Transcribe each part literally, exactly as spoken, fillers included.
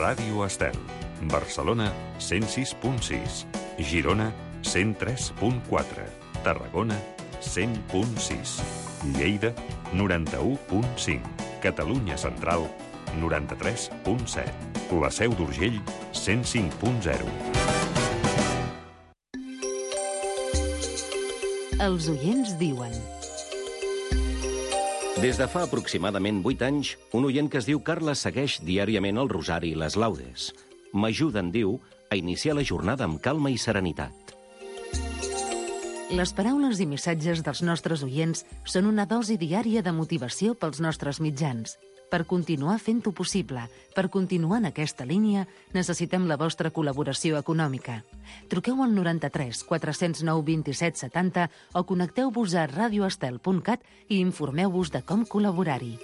Ràdio Estel. Barcelona, cent sis punt sis. Girona, cent tres punt quatre. Tarragona, cent punt sis. Lleida, noranta-u punt cinc. Catalunya Central, noranta-tres punt set. La Seu d'Urgell, cent cinc punt zero. Els oients diuen. Des de fa aproximadament vuit anys, un oient que es diu Carles segueix diàriament el rosari i les laudes. M'ajuden, diu, a iniciar la jornada amb calma i serenitat. Les paraules i missatges dels nostres oients són una dosi diària de motivació pels nostres mitjans. Per continuar fent-ho possible, per continuar en aquesta línia, necessitem la vostra col·laboració econòmica. Truqueu al noranta-tres quatre zero nou vint-i-set setanta o connecteu-vos a radioestel punt cat i informeu-vos de com col·laborar-hi.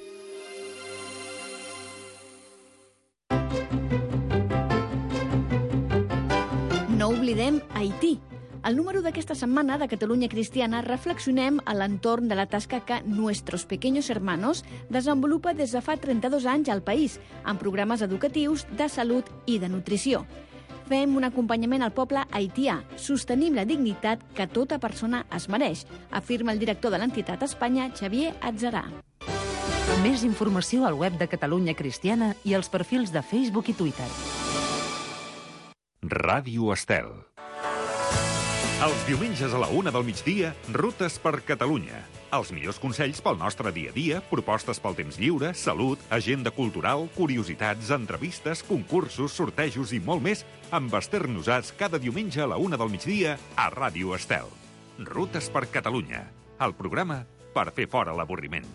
No oblidem Haití. Al número d'aquesta setmana de Catalunya Cristiana reflexionem a l'entorn de la tasca que Nuestros Pequeños Hermanos desenvolupa des de fa trenta-dos anys al país, amb programes educatius, de salut i de nutrició. Fem un acompanyament al poble haitià, sostenim la dignitat que tota persona es mereix, afirma el director de l'entitat a Espanya, Xavier Atzarà. Més informació al web de Catalunya Cristiana i als perfils de Facebook i Twitter. Ràdio Estel. Els diumenges a la una del migdia, Rutes per Catalunya. Els millors consells pel nostre dia a dia, propostes pel temps lliure, salut, agenda cultural, curiositats, entrevistes, concursos, sortejos i molt més amb Esther Nosats cada diumenge a la una del migdia a Ràdio Estel. Rutes per Catalunya. El programa per fer fora l'avorriment.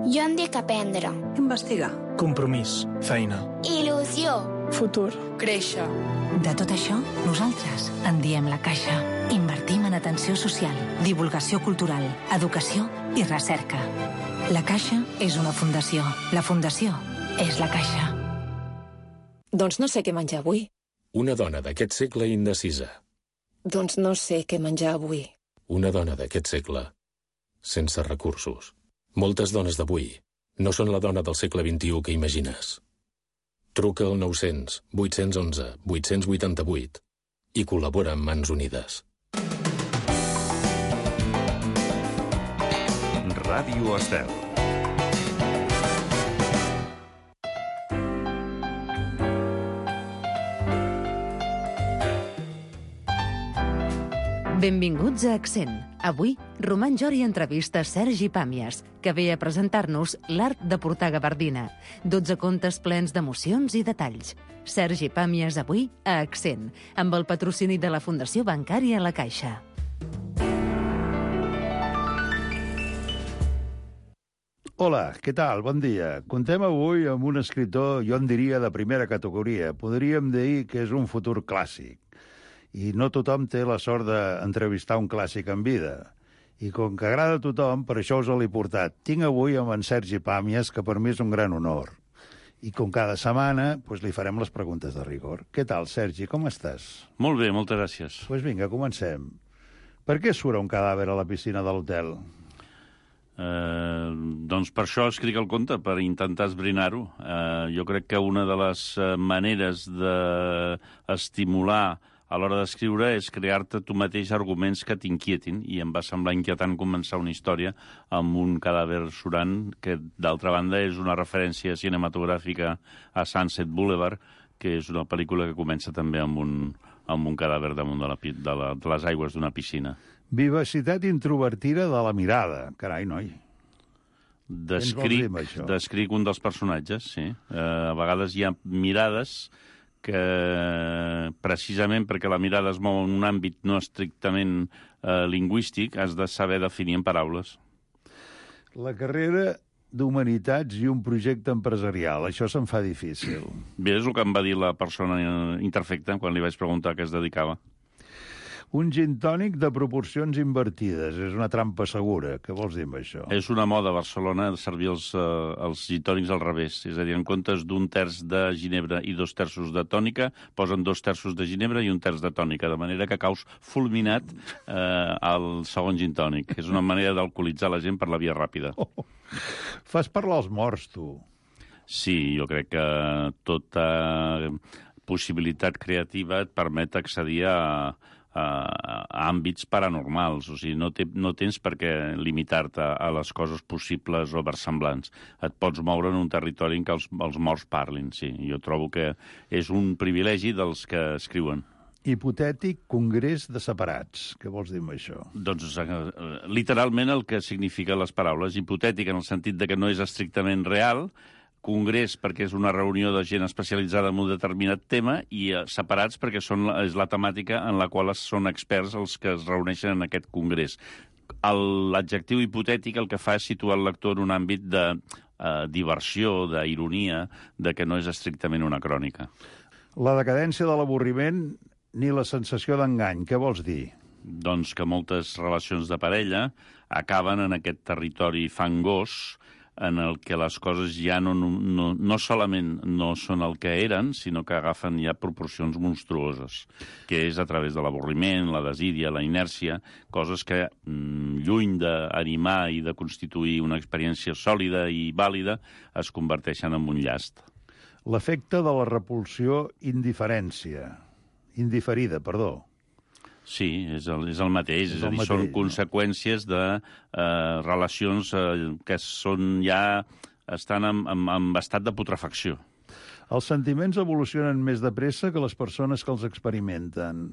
Jo em dic aprendre. Investigar. Compromís. Feina. Il·lusió. Futur. Créixer. De tot això, nosaltres en diem La Caixa. Invertim en atenció social, divulgació cultural, educació i recerca. La Caixa és una fundació. La fundació és La Caixa. Doncs no sé què menjar avui. Una dona d'aquest segle indecisa. Doncs no sé què menjar avui. Una dona d'aquest segle sense recursos. Moltes dones d'avui no són la dona del segle vint-i-u que imagines. Truca al nou-cents vuit-cents onze vuit-cents vuitanta-vuit i col·labora amb Mans Unides. Ràdio Estel. Benvinguts a Accent. Avui, Roman Jori entrevista Sergi Pàmies, que ve a presentar-nos l'art de portar gabardina. dotze contes plens d'emocions i detalls. Sergi Pàmies avui a Accent, amb el patrocini de la Fundació Bancària La Caixa. Hola, què tal? Bon dia. Contem avui amb un escriptor, jo en diria, de primera categoria. Podríem dir que és un futur clàssic. I no tothom té la sort d'entrevistar un clàssic en vida. I com que agrada a tothom, per això us l'he portat. Tinc avui amb en Sergi Pàmies, que per mi és un gran honor. I com cada setmana, doncs li farem les preguntes de rigor. Què tal, Sergi? Com estàs? Molt bé, moltes gràcies. Doncs pues vinga, comencem. Per què surt un cadàver a la piscina de l'hotel? Eh, doncs per això escric el conte, per intentar esbrinar-ho. Eh, jo crec que una de les maneres d'estimular a l'hora d'escriure és crear-te tu mateix arguments que t'inquietin, i em va semblar inquietant començar una història amb un cadàver surant, que d'altra banda és una referència cinematogràfica a Sunset Boulevard, que és una pel·lícula que comença també amb un, amb un cadàver damunt de, la, de, la, de les aigües d'una piscina. Vivacitat introvertida de la mirada. Carai, noi. Descric, descric un dels personatges, sí. Eh, a vegades hi ha mirades que precisament perquè la mirada es mou en un àmbit no estrictament eh, lingüístic, has de saber definir en paraules. La carrera d'Humanitats i un projecte empresarial, això se'm fa difícil. Bé, és el que em va dir la persona interfecta quan li vaig preguntar a què es dedicava. Un gin tònic de proporcions invertides. És una trampa segura. Què vols dir amb això? És una moda a Barcelona servir els, uh, els gin tònics al revés. És a dir, en comptes d'un terç de ginebra i dos terços de tònica, posen dos terços de ginebra i un terç de tònica, de manera que caus fulminat eh, al segon gin tònic. És una manera d'alcoholitzar la gent per la via ràpida. Oh, fas parlar els morts, tu. Sí, jo crec que tota possibilitat creativa et permet accedir a, a, a àmbits paranormals. O sigui, no, te, no tens per què limitar-te a les coses possibles o versemblants. Et pots moure en un territori en què els, els morts parlin, sí. Jo trobo que és un privilegi dels que escriuen. Hipotètic congrés de separats. Què vols dir amb això? Doncs literalment el que signifiquen les paraules. Hipotètic en el sentit de que no és estrictament real, congrés perquè és una reunió de gent especialitzada en un determinat tema i eh, separats perquè són, és la temàtica en la qual són experts els que es reuneixen en aquest congrés. L'adjectiu hipotètic el que fa és situar el lector en un àmbit de eh, diversió, d'ironia, de que no és estrictament una crònica. La decadència de l'avorriment ni la sensació d'engany. Què vols dir? Doncs que moltes relacions de parella acaben en aquest territori fangós en el que les coses ja no, no, no solament no són el que eren, sinó que agafen ja proporcions monstruoses, que és a través de l'avorriment, la desídia, la inèrcia, coses que, mm, lluny d'animar i de constituir una experiència sòlida i vàlida, es converteixen en un llast. L'efecte de la repulsió indiferència. Indiferida, perdó. Sí, és el, és el mateix. És, és a dir, mateix, són no? conseqüències de eh, relacions eh, que són ja estan en, en, en estat de putrefacció. Els sentiments evolucionen més de pressa que les persones que els experimenten.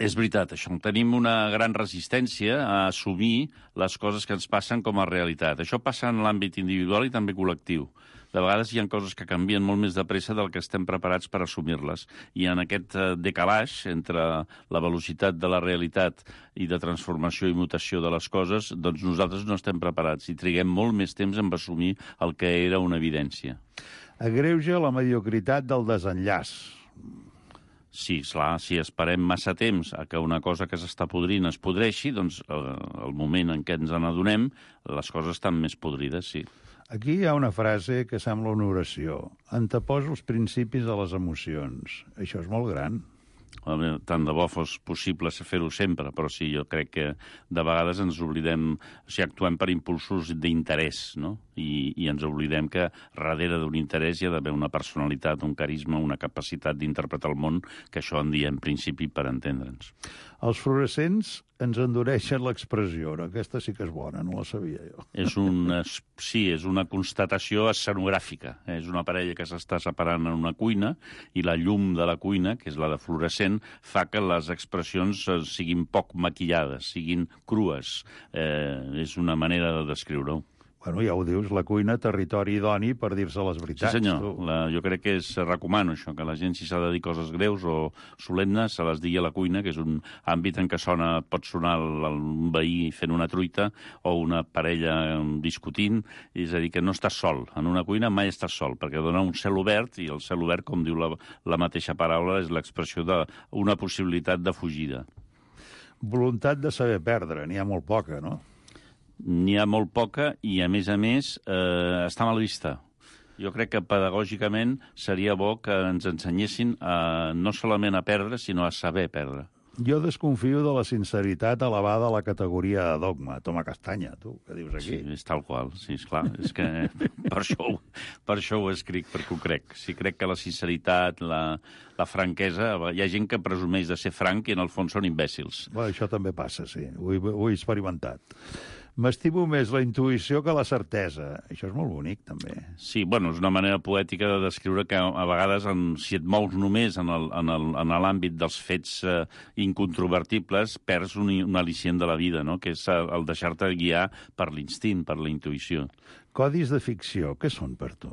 És veritat, això. Tenim una gran resistència a assumir les coses que ens passen com a realitat. Això passa en l'àmbit individual i també col·lectiu. De vegades hi ha coses que canvien molt més de pressa del que estem preparats per assumir-les. I en aquest decalaix entre la velocitat de la realitat i de transformació i mutació de les coses, doncs nosaltres no estem preparats i triguem molt més temps en assumir el que era una evidència. Agreuja la mediocritat del desenllaç. Sí, esclar, si esperem massa temps a que una cosa que s'està podrint es podreixi, doncs eh, el moment en què ens n'adonem, les coses estan més podrides, sí. Aquí hi ha una frase que sembla una oració. Anteposo els principis a les emocions. Això és molt gran. Tant de bo fos possible fer-ho sempre, però sí, jo crec que de vegades ens oblidem, o sigui, actuem per impulsos d'interès, no? I, i ens oblidem que darrere d'un interès hi ha d'haver una personalitat, un carisma, una capacitat d'interpretar el món, que això en diem principi per entendre'ns. Els fluorescents ens endureixen l'expressió. Aquesta sí que és bona, no la sabia jo. És una, sí, és una constatació escenogràfica. És una parella que s'està separant en una cuina i la llum de la cuina, que és la de fluorescent, fa que les expressions siguin poc maquillades, siguin crues. Eh, és una manera de descriure-ho. Bueno, ja ho dius, la cuina, territori idoni per dir-se les veritats. Sí, senyor. La, jo crec que és, recomano això, que la gent, si s'ha de dir coses greus o solemnes, se les digui a la cuina, que és un àmbit en què sona, pot sonar un veí fent una truita o una parella discutint, és a dir, que no estàs sol. En una cuina mai estàs sol, perquè dona un cel obert, i el cel obert, com diu la, la mateixa paraula, és l'expressió d'una possibilitat de fugida. Voluntat de saber perdre, n'hi ha molt poca, no? N'hi ha molt poca i, a més a més, eh, està mal vista. Jo crec que pedagògicament seria bo que ens ensenyessin a, no solament a perdre, sinó a saber perdre. Jo desconfio de la sinceritat elevada a la categoria de dogma. Toma castanya, tu, què dius aquí? Sí, és tal qual, sí, esclar. És que per això, per això ho escric, perquè ho crec. Sí, crec que la sinceritat, la, la franquesa... Hi ha gent que presumeix de ser franc i en el fons són imbècils. Bé, això també passa, sí. Ho he, ho he experimentat. M'estimo més la intuïció que la certesa. Això és molt bonic, també. Sí, bueno, és una manera poètica de descriure que a vegades, en, si et mous només en l'àmbit dels fets eh, incontrovertibles, perds un, un al·licient de la vida, no? Que és el deixar-te guiar per l'instint, per la intuïció. Codis de ficció, què són per tu?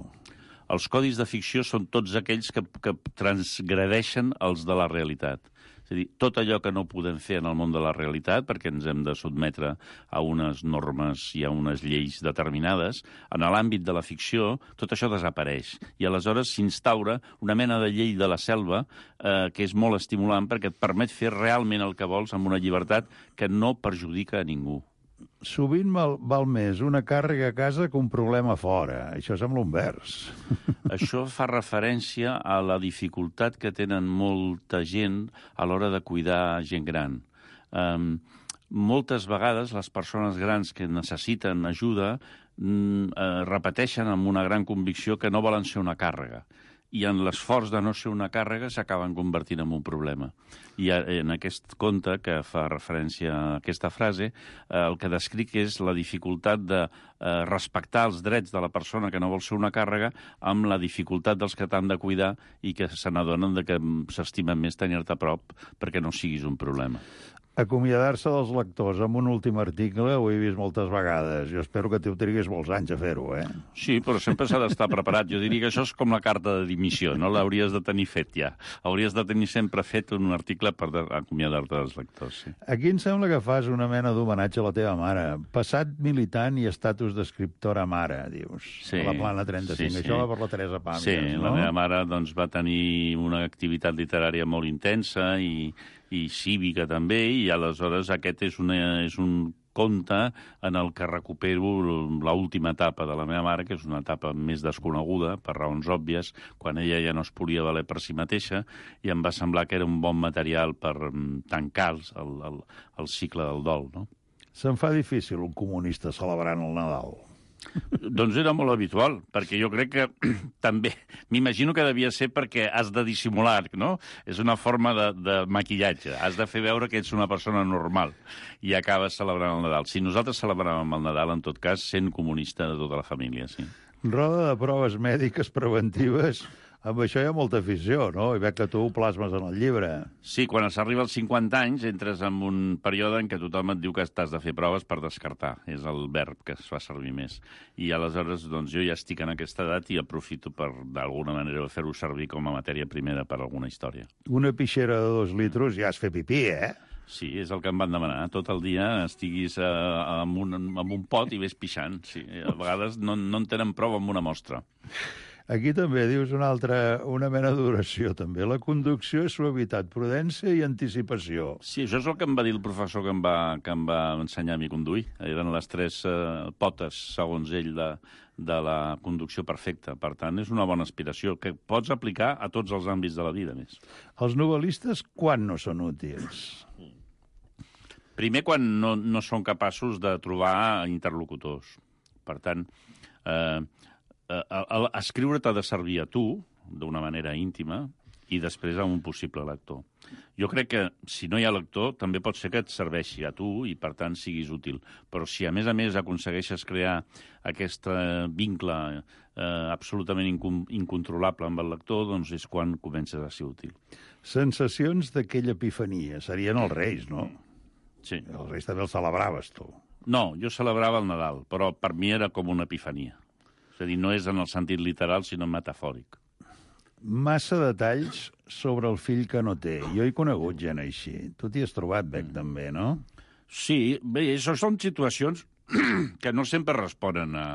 Els codis de ficció són tots aquells que, que transgredeixen els de la realitat. És a dir, tot allò que no podem fer en el món de la realitat, perquè ens hem de sotmetre a unes normes i a unes lleis determinades, en l'àmbit de la ficció tot això desapareix. I aleshores s'instaura una mena de llei de la selva eh, que és molt estimulant perquè et permet fer realment el que vols amb una llibertat que no perjudica a ningú. Sovint val, val més una càrrega a casa que un problema fora. Això sembla un vers. Això fa referència a la dificultat que tenen molta gent a l'hora de cuidar gent gran. Um, moltes vegades les persones grans que necessiten ajuda mm, eh, repeteixen amb una gran convicció que no volen ser una càrrega. I en l'esforç de no ser una càrrega s'acaben convertint en un problema. I en aquest conte, que fa referència a aquesta frase, eh, el que descric és la dificultat de eh, respectar els drets de la persona que no vol ser una càrrega amb la dificultat dels que t'han de cuidar i que se n'adonen que s'estimen més tenir-te a prop perquè no siguis un problema. Acomiadar-se dels lectors amb un últim article ho he vist moltes vegades. Jo espero que tu triguis molts anys a fer-ho, eh? Sí, però sempre s'ha d'estar preparat. Jo diria que això és com la carta de dimissió, no l'hauries de tenir fet ja. Hauries de tenir sempre fet un article per acomiadar-te dels lectors, sí. Aquí em sembla que fas una mena d'homenatge a la teva mare. Passat militant i estatus d'escriptora mare, dius. Sí, a la Plana trenta-cinc. sí, sí. Això va per la Teresa Pàmies, sí, no? La meva mare doncs, va tenir una activitat literària molt intensa i, i cívica també, i aleshores aquest és, una, és un conte en el que recupero l'última etapa de la meva mare, que és una etapa més desconeguda, per raons òbvies, quan ella ja no es podia valer per si mateixa, i em va semblar que era un bon material per tancar el, el, el cicle del dol, no? Se'n fa difícil un comunista celebrant el Nadal. Doncs era molt habitual, perquè jo crec que també, m'imagino que devia ser perquè has de dissimular, no? És una forma de, de maquillatge. Has de fer veure que ets una persona normal i acabes celebrant el Nadal. Si nosaltres celebràvem el Nadal, en tot cas, sent comunista de tota la família, sí. Roda de proves mèdiques preventives. Amb això hi ha molta afició, no? I veig que tu ho plasmes en el llibre. Sí, quan s'arriba als cinquanta anys entres en un període en què tothom et diu que t'has de fer proves per descartar. És el verb que es fa servir més. I aleshores doncs, jo ja estic en aquesta edat i aprofito per, d'alguna manera, fer-ho servir com a matèria primera per alguna història. Una pixera de dos litros ja has fet pipí, eh? Sí, és el que em van demanar. Tot el dia estiguis eh, amb, un, amb un pot i ves pixant. Sí, a vegades no, no en tenen prou amb una mostra. Aquí també dius una altra, una mena d'oració, també. La conducció és suavitat, prudència i anticipació. Sí, això és el que em va dir el professor que em va, que em va ensenyar a mi a conduir. Eren les tres eh, potes, segons ell, de, de la conducció perfecta. Per tant, és una bona aspiració, que pots aplicar a tots els àmbits de la vida, més. Els novel·listes, quan no són útils? Primer, quan no, no són capaços de trobar interlocutors. Per tant, eh, eh, escriure t'ha de servir a tu, d'una manera íntima, i després a un possible lector. Jo crec que, si no hi ha lector, també pot ser que et serveixi a tu i, per tant, siguis útil. Però si, a més a més, aconsegueixes crear aquest vincle eh, absolutament incon incontrolable amb el lector, doncs és quan comences a ser útil. Sensacions d'aquella epifania. Serien els Reis, no? Sí. Els Reis també els celebraves, tu. No, jo celebrava el Nadal, però per mi era com una epifania. És a dir, no és en el sentit literal, sinó metafòric. Massa detalls sobre el fill que no té. Jo he conegut gent així. Tu t'hi has trobat, Bec, mm. també, no? Sí, bé, això són situacions que no sempre responen a,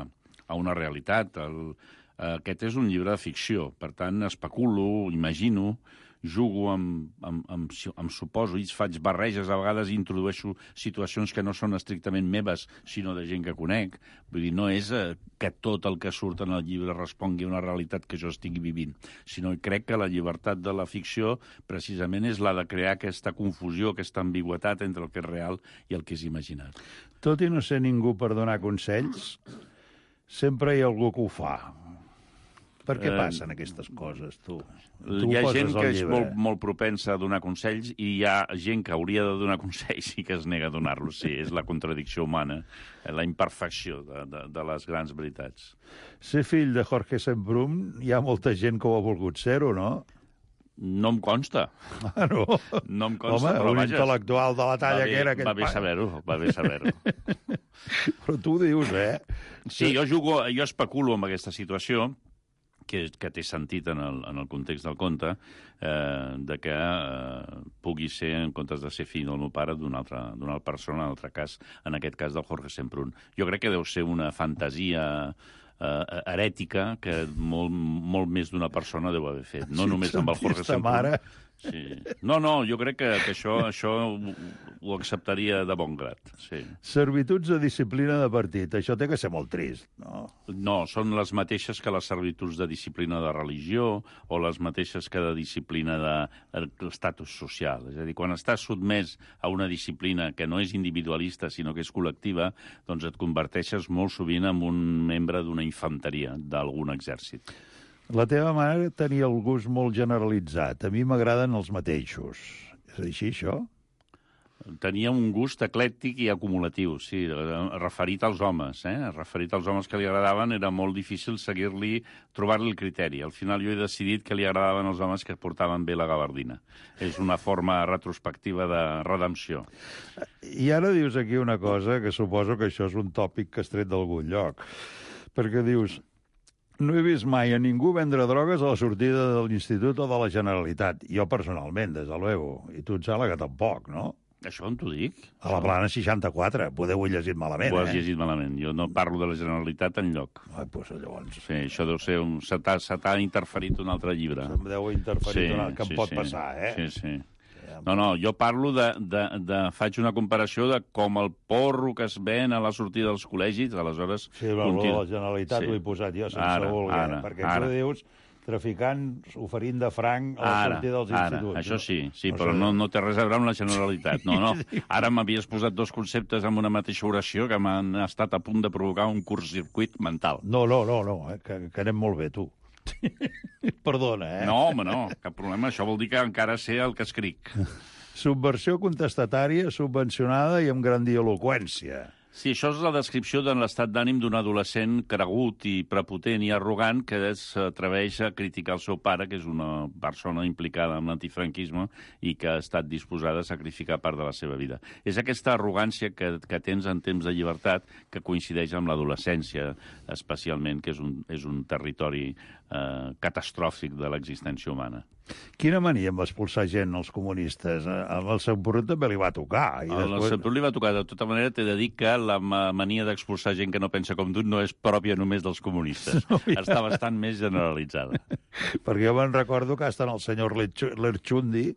a una realitat. El, aquest és un llibre de ficció, per tant, especulo, imagino, jugo amb, amb, amb, amb supòsits, faig barreges, a vegades introdueixo situacions que no són estrictament meves, sinó de gent que conec. Vull dir, no és eh, que tot el que surt en el llibre respongui a una realitat que jo estigui vivint, sinó que crec que la llibertat de la ficció precisament és la de crear aquesta confusió, aquesta ambigüetat entre el que és real i el que és imaginat. Tot i no ser ningú per donar consells, sempre hi ha algú que ho fa. Per què passen aquestes coses, tu? tu hi ha gent que és molt, molt propensa a donar consells i hi ha gent que hauria de donar consells i que es nega a donar-los. Sí, és la contradicció humana, la imperfecció de, de, de les grans veritats. Ser fill de Jorge Semprún, hi ha molta gent que ho ha volgut ser-ho, no? No em consta. Ah, no? No em consta, Home, però un vaja, intel·lectual de la talla bé, que era aquell va bé saber-ho, va bé saber-ho. Però tu dius, eh? Sí, jo jugo, jo especulo amb aquesta situació, que, que té sentit en el, en el context del conte, eh, de que eh, pugui ser, en comptes de ser fill del meu pare, d'una altra, d'una altra persona, en altre cas, en aquest cas del Jorge Semprún. Jo crec que deu ser una fantasia eh, herètica que molt, molt més d'una persona deu haver fet. No sí, només amb el Jorge Semprún. Mare. Sí. No, no, jo crec que, que això, això ho, ho acceptaria de bon grat. Sí. Servituds de disciplina de partit. Això té que ser molt trist, no? No, són les mateixes que les servituds de disciplina de religió o les mateixes que de disciplina de l'estatus social. És a dir, quan estàs sotmès a una disciplina que no és individualista, sinó que és col·lectiva, doncs et converteixes molt sovint en un membre d'una infanteria, d'algun exèrcit. La teva mare tenia el gust molt generalitzat. A mi m'agraden els mateixos. És així, això? Tenia un gust eclèctic i acumulatiu, sí, referit als homes. Eh? Referit als homes que li agradaven, era molt difícil seguir-li, trobar-li el criteri. Al final jo he decidit que li agradaven els homes que portaven bé la gabardina. És una forma retrospectiva de redempció. I ara dius aquí una cosa, que suposo que això és un tòpic que has tret d'algun lloc. Perquè dius... No he vist mai a ningú vendre drogues a la sortida de l'Institut o de la Generalitat. Jo personalment, des de luego. I tu em sembla que tampoc, no? Això on t'ho dic? A la Plana seixanta-quatre. Poder ho he llegit malament, ho has eh? llegit malament. Jo no parlo de la Generalitat enlloc. Ai, doncs llavors... Sí, això deu ser... Un... Se t'ha interferit un altre llibre. Se'm deu interferir sí, un altre, que em sí, pot sí. passar, eh? Sí, sí. No, no, jo parlo de, de, de... Faig una comparació de com el porro que es ven a la sortida dels col·legis, aleshores... Sí, però continu... la Generalitat sí. ho he posat jo, sense ara, voler, ara, perquè ara. Tu dius traficants oferint de franc a la ara, sortida dels ara, instituts. Això no? sí, sí, no però sé. no, no té res a veure amb la Generalitat. No, no. Ara m'havies posat dos conceptes en una mateixa oració que m'han estat a punt de provocar un curtcircuit mental. No, no, no, no eh? que, que anem molt bé, tu. Perdona, eh? No, home, no, cap problema. Això vol dir que encara sé el que escric. Subversió contestatària, subvencionada i amb grandiloqüència. Sí, això és la descripció de l'estat d'ànim d'un adolescent cregut i prepotent i arrogant que s'atreveix a criticar el seu pare, que és una persona implicada en l'antifranquisme i que ha estat disposada a sacrificar part de la seva vida. És aquesta arrogància que, que tens en temps de llibertat que coincideix amb l'adolescència, especialment, que és un, és un territori eh, catastròfic de l'existència humana. Quina mania amb expulsar gent, els comunistes? Amb el Semprún també li va tocar. I el després... Semprún li va tocar. De tota manera, t'he de dir que la mania d'expulsar gent que no pensa com tu no és pròpia només dels comunistes. No, ja. Està bastant més generalitzada. Perquè jo me'n recordo que hasta el senyor Lerchundi,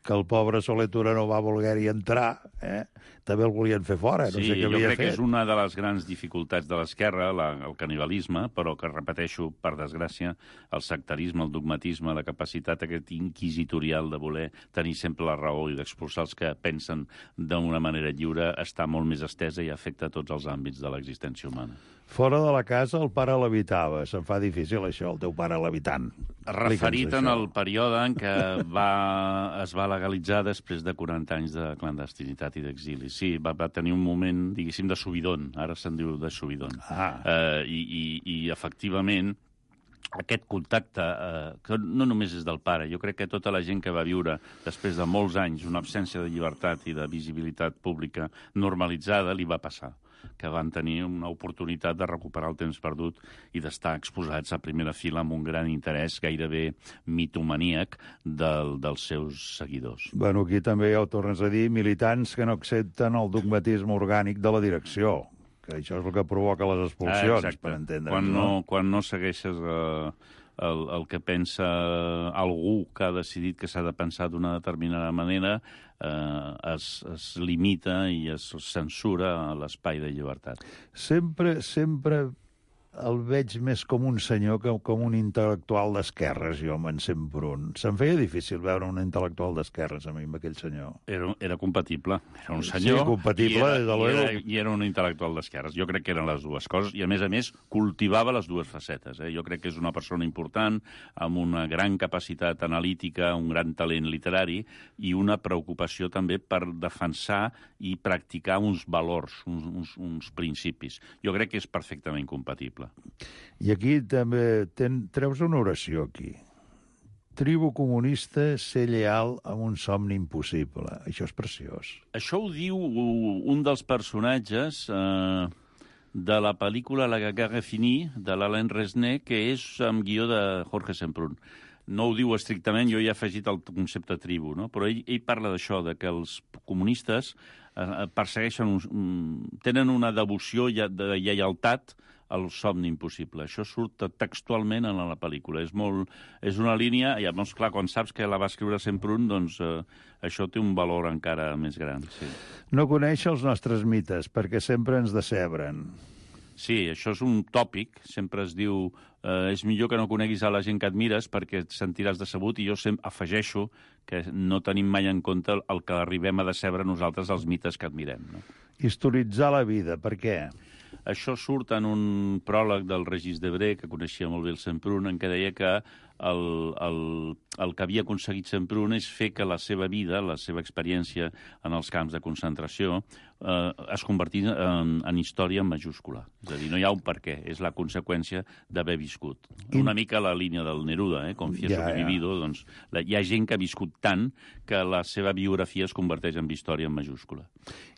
que el pobre Soler Tura no va voler-hi entrar, eh? També el volien fer fora, no sí, sé què havia fet. Sí, jo crec que és una de les grans dificultats de l'esquerra, el canibalisme, però que, repeteixo, per desgràcia, el sectarisme, el dogmatisme, la capacitat aquest inquisitorial de voler tenir sempre la raó i d'expulsar els que pensen d'una manera lliure està molt més estesa i afecta tots els àmbits de l'existència humana. Fora de la casa el pare l'habitava. Se'n fa difícil, això, el teu pare l'habitant. Referit en el període en què va, es va legalitzar després de quaranta anys de clandestinitat i d'exili. Sí, va, va tenir un moment, diguéssim, de subidon. Ara se'n diu de subidon. Ah. Eh, i, i, I, efectivament, aquest contacte, eh, que no només és del pare, jo crec que tota la gent que va viure després de molts anys una absència de llibertat i de visibilitat pública normalitzada li va passar, que van tenir una oportunitat de recuperar el temps perdut i d'estar exposats a primera fila amb un gran interès gairebé mitomaníac del, dels seus seguidors. Bueno, aquí també ja ho tornes a dir, militants que no accepten el dogmatisme orgànic de la direcció, que això és el que provoca les expulsions, ah, per entendre'ns. Quan no, quan no segueixes eh, el, el que pensa algú que ha decidit que s'ha de pensar d'una determinada manera, eh, es, es limita i es censura l'espai de llibertat. Sempre, sempre el veig més com un senyor que com un intel·lectual d'esquerres, jo, amb en Semprún. Se'm feia difícil veure un intel·lectual d'esquerres a mi, amb aquell senyor. Era, era compatible. Era un senyor sí, compatible, i, era, des de i, era, luego. i era un intel·lectual d'esquerres. Jo crec que eren les dues coses i, a més a més, cultivava les dues facetes. Eh? Jo crec que és una persona important, amb una gran capacitat analítica, un gran talent literari i una preocupació també per defensar i practicar uns valors, uns, uns, uns principis. Jo crec que és perfectament compatible. I aquí també ten, treus una oració aquí. Tribu comunista, ser lleal amb un somni impossible. Això és preciós. Això ho diu un dels personatges eh, de la pel·lícula La Guerre Finie, de l'Alain Resnais, que és amb guió de Jorge Semprún. No ho diu estrictament, jo hi he afegit el concepte tribu, no? Però ell, ell parla d'això, de que els comunistes eh, persegueixen, un, tenen una devoció de lleialtat al somni impossible. Això surt textualment en la pel·lícula. És, molt, és una línia, i llavors, clar, quan saps que la va escriure Semprún, doncs eh, això té un valor encara més gran. Sí. No coneix els nostres mites, perquè sempre ens decebren. Sí, això és un tòpic. Sempre es diu eh, és millor que no coneguis a la gent que admires perquè et sentiràs decebut, i jo sempre afegeixo que no tenim mai en compte el que arribem a decebre nosaltres els mites que admirem. No? Historitzar la vida, per què? Això surt en un pròleg del Regis Debray, que coneixia molt bé el Semprún, en què deia que el, el, el que havia aconseguit Semprún és fer que la seva vida, la seva experiència en els camps de concentració, eh, es convertís en, en història en majúscula. És a dir, no hi ha un per què, és la conseqüència d'haver viscut. Una mica la línia del Neruda, eh? Confieso Ja, que he ja. vivido, doncs la, hi ha gent que ha viscut tant que la seva biografia es converteix en història en majúscula.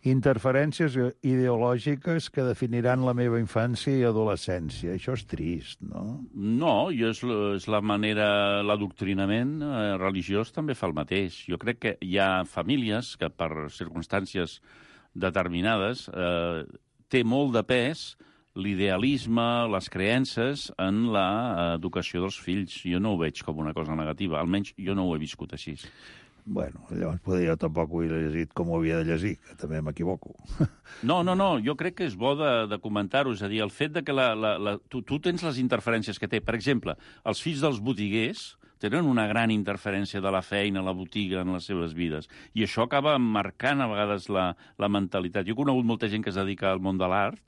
Interferències ideològiques que definiran la meva infància i adolescència. Això és trist, no? No, jo és, és la manera, l'adoctrinament eh, religiós també fa el mateix. Jo crec que hi ha famílies que per circumstàncies determinades eh, té molt de pes l'idealisme, les creences en l'educació dels fills. Jo no ho veig com una cosa negativa, almenys jo no ho he viscut així. Bueno, llavors poder jo tampoc ho he llegit com ho havia de llegir, que també m'equivoco. No, no, no, jo crec que és bo de, de comentar-ho, és a dir, el fet de que la, la, la, tu, tu tens les interferències que té. Per exemple, els fills dels botiguers tenen una gran interferència de la feina, la botiga, en les seves vides. I això acaba marcant a vegades la, la mentalitat. Jo he conegut molta gent que es dedica al món de l'art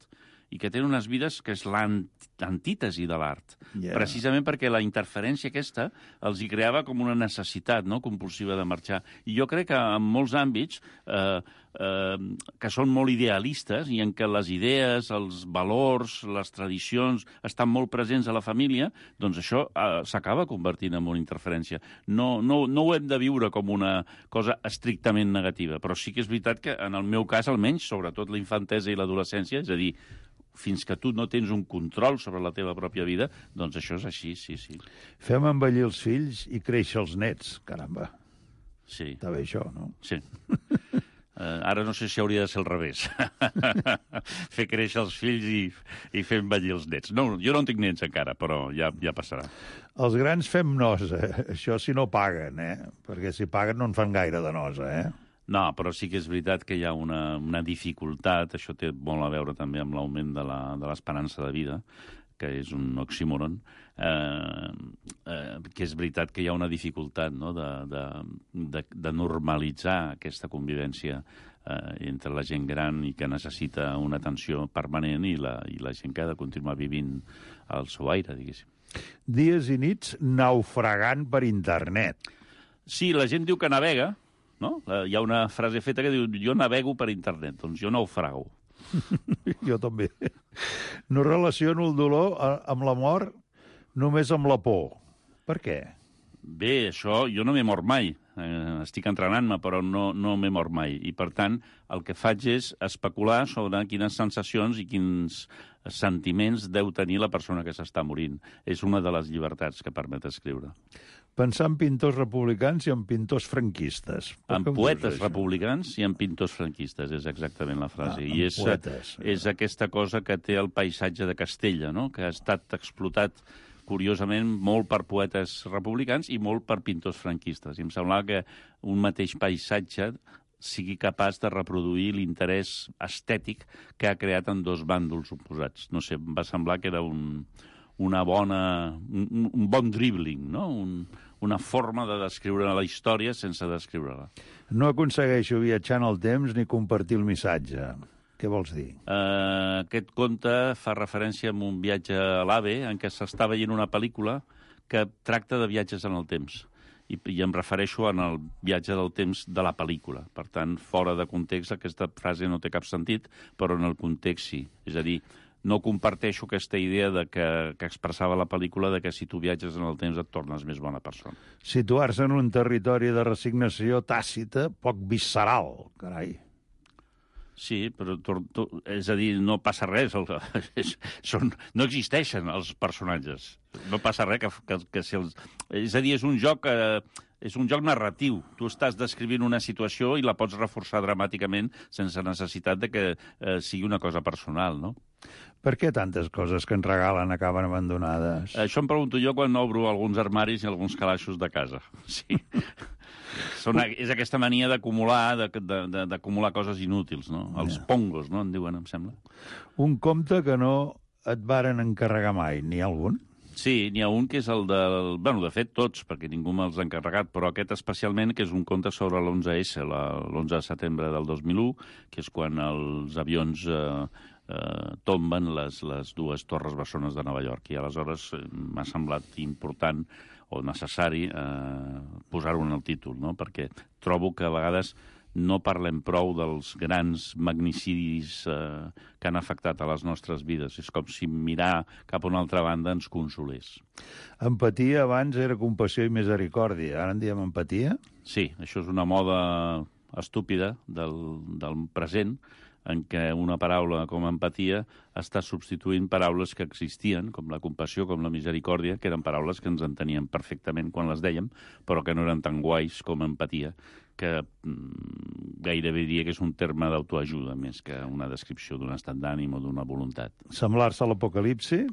i que tenen unes vides que és l'antítesi de l'art. Yeah. Precisament perquè la interferència aquesta els hi creava com una necessitat, no?, compulsiva de marxar. I jo crec que en molts àmbits eh, eh, que són molt idealistes i en què les idees, els valors, les tradicions estan molt presents a la família, doncs això eh, s'acaba convertint en una interferència. No, no, no ho hem de viure com una cosa estrictament negativa, però sí que és veritat que en el meu cas, almenys, sobretot la infantesa i l'adolescència, és a dir, fins que tu no tens un control sobre la teva pròpia vida, doncs això és així, sí, sí. Fem envellir els fills i créixer els nets, caramba. Sí. Està bé això, no? Sí. Uh, ara no sé si hauria de ser al revés. Fer créixer els fills i, i fer envellir els nets. No, jo no en tinc nets encara, però ja, ja passarà. Els grans fem nosa, això si no paguen, eh? Perquè si paguen no en fan gaire de nosa, eh? No, però sí que és veritat que hi ha una, una dificultat, això té molt a veure també amb l'augment de la, de l'esperança de vida, que és un oxímoron, eh, eh, que és veritat que hi ha una dificultat, no?, de, de, de, de normalitzar aquesta convivència eh, entre la gent gran i que necessita una atenció permanent i la, i la gent que ha de continuar vivint al seu aire, diguéssim. Dies i nits naufragant per internet. Sí, la gent diu que navega, no? Hi ha una frase feta que diu jo navego per internet, doncs jo naufrago. Jo també. No relaciono el dolor amb la mort, només amb la por. Per què? Bé, això, jo no m'he mort mai. Eh, estic entrenant-me, però no, no m'he mort mai. I, per tant, el que faig és especular sobre quines sensacions i quins sentiments deu tenir la persona que s'està morint. És una de les llibertats que permet escriure. Pensar en pintors republicans i en pintors franquistes. En poetes republicans i en pintors franquistes, és exactament la frase. Ah, I és, poetes. és aquesta cosa que té el paisatge de Castella, no?, que ha estat explotat curiosament molt per poetes republicans i molt per pintors franquistes. I em semblava que un mateix paisatge sigui capaç de reproduir l'interès estètic que ha creat en dos bàndols oposats. No sé, em va semblar que era un, una bona, un, un bon dribbling, no?, un, una forma de descriure la història sense descriure-la. No aconsegueixo viatjar en el temps ni compartir el missatge. Què vols dir? Uh, aquest conte fa referència a un viatge a l'AVE en què s'està veient una pel·lícula que tracta de viatges en el temps. I, i em refereixo en el viatge del temps de la pel·lícula. Per tant, fora de context, aquesta frase no té cap sentit, però en el context sí. És a dir, no comparteixo aquesta idea de que, que expressava la pel·lícula de que si tu viatges en el temps et tornes més bona persona. Situar-se en un territori de resignació tàcita, poc visceral, carai. Sí, però to, to, és a dir, no passa res. El, són, no existeixen els personatges. No passa res que, que, que si els... És a dir, és un joc... Eh, és un joc narratiu. Tu estàs descrivint una situació i la pots reforçar dramàticament sense necessitat de que eh, sigui una cosa personal, no? Per què tantes coses que ens regalen acaben abandonades? Això em pregunto jo quan obro alguns armaris i alguns calaixos de casa. Sí. Són, és aquesta mania d'acumular d'acumular coses inútils, no? Els pongos, no? En diuen, em sembla. Un compte que no et varen encarregar mai. N'hi ha algun? Sí, n'hi ha un que és el del... Bueno, de fet, tots, perquè ningú me'ls ha encarregat, però aquest especialment, que és un conte sobre l'onze essa, l'onze de setembre del dos mil u, que és quan els avions eh, eh, tomben les, les dues torres bessones de Nova York. I aleshores eh, m'ha semblat important o necessari eh, posar-ho en el títol, no? Perquè trobo que a vegades no parlem prou dels grans magnicidis eh, que han afectat a les nostres vides. És com si mirar cap a una altra banda ens consolés. Empatia abans era compassió i misericòrdia. Ara en diem empatia? Sí, això és una moda estúpida del, del present, en què una paraula com empatia està substituint paraules que existien, com la compassió, com la misericòrdia, que eren paraules que ens enteníem perfectament quan les dèiem, però que no eren tan guais com empatia, que mm, gairebé diria que és un terme d'autoajuda més que una descripció d'un estat d'ànim o d'una voluntat. Semblar-se a l'apocalipsi?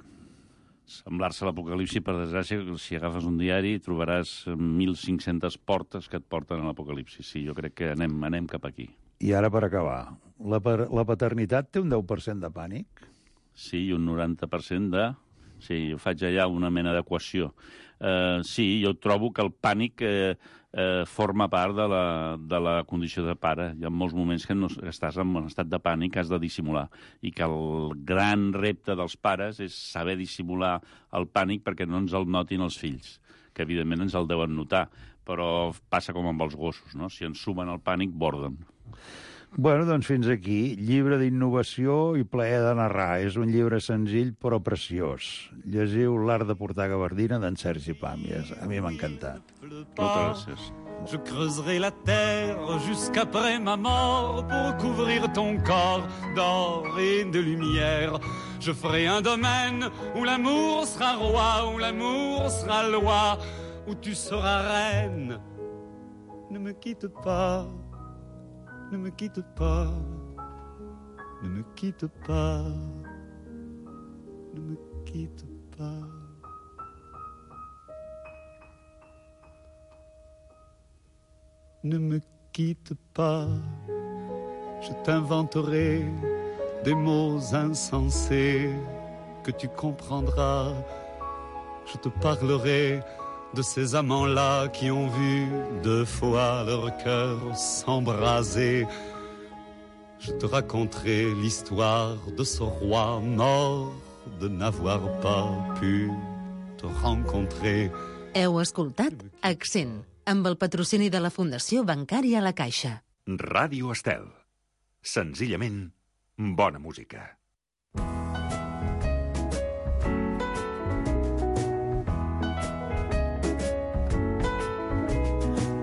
Semblar-se a l'apocalipsi, per desgràcia, si agafes un diari trobaràs mil cinc-centes portes que et porten a l'apocalipsi. Sí, jo crec que anem, anem cap aquí. I ara, per acabar, la, la paternitat té un deu per cent de pànic? Sí, i un noranta per cent de... Sí, jo faig allà una mena d'equació. Uh, sí, jo trobo que el pànic eh, eh, forma part de la, de la condició de pare. Hi ha molts moments que, no, que estàs en un estat de pànic, has de dissimular. I que el gran repte dels pares és saber dissimular el pànic perquè no ens el notin els fills, que evidentment ens el deuen notar, però passa com amb els gossos, no? Si ens sumen el pànic, borden. Bueno, doncs fins aquí. Llibre d'innovació i plaer de narrar. És un llibre senzill però preciós. Llegiu L'art de portar gabardina d'en Sergi Pàmies. A mi m'ha encantat. Moltes gràcies. Je creuserai la terre jusqu'après ma mort pour couvrir ton corps d'or et de lumière. Je ferai un domaine où l'amour sera roi, où l'amour sera loi, où tu seras reine. Ne me quitte pas. Ne me quitte pas, ne me quitte pas, ne me quitte pas. Ne me quitte pas, je t'inventerai des mots insensés que tu comprendras. Je te parlerai de ces amants-là qui ont vu deux fois leur cœur s'embraser. Je te raconterai l'histoire de ce roi mort de n'avoir pas pu te rencontrer. Heu escoltat Accent, amb el patrocini de la Fundació Bancària La Caixa. Ràdio Estel. Senzillament, bona música.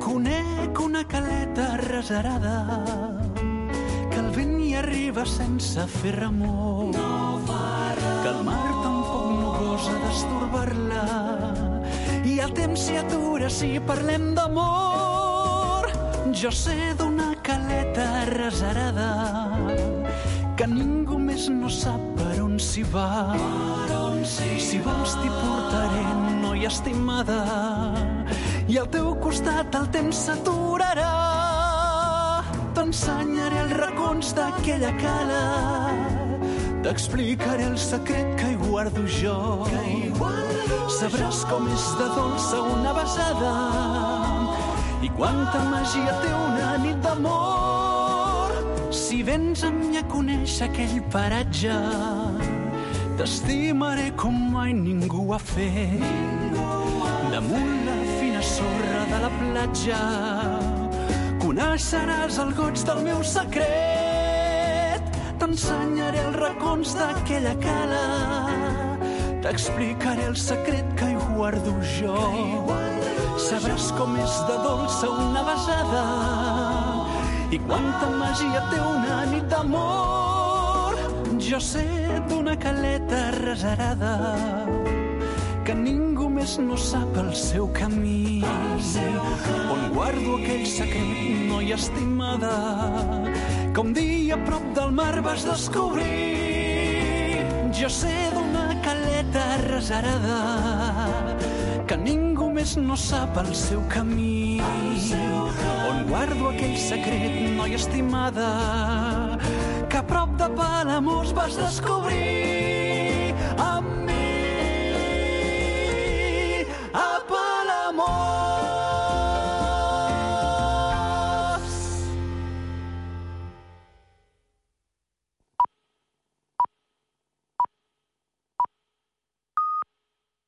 Conec una caleta reserada que el vent hi arriba sense fer remor, no que el mar tampoc no gosa d'estorbar-la i el temps s'hi atura si parlem d'amor. Jo sé d'una caleta reserada que ningú més no sap per on s'hi va. Si vols t'hi portaré, noia estimada, i al teu costat el temps s'aturarà. T'ensenyaré els racons d'aquella cala, t'explicaré el secret que hi guardo jo. Sabràs com és de dolça una besada i quanta màgia té una nit d'amor. Si vens amb mi a conèixer aquell paratge, t'estimaré com mai ningú ha fet. Damunt la fina sorra de la platja coneixeràs el goig del meu secret. T'ensenyaré els racons d'aquella cala, t'explicaré el secret que hi guardo jo. Sabràs com és de dolça una besada i quanta màgia té una nit d'amor. Jo sé d'una caleta reserada que ningú més no sap el seu camí, on guardo aquell secret, noia estimada, que un dia a prop del mar vas descobrir. Jo sé d'una caleta reserada que ningú més no sap el seu camí, on guardo aquell secret, noia estimada, que a prop de Palamós vas descobrir. Amb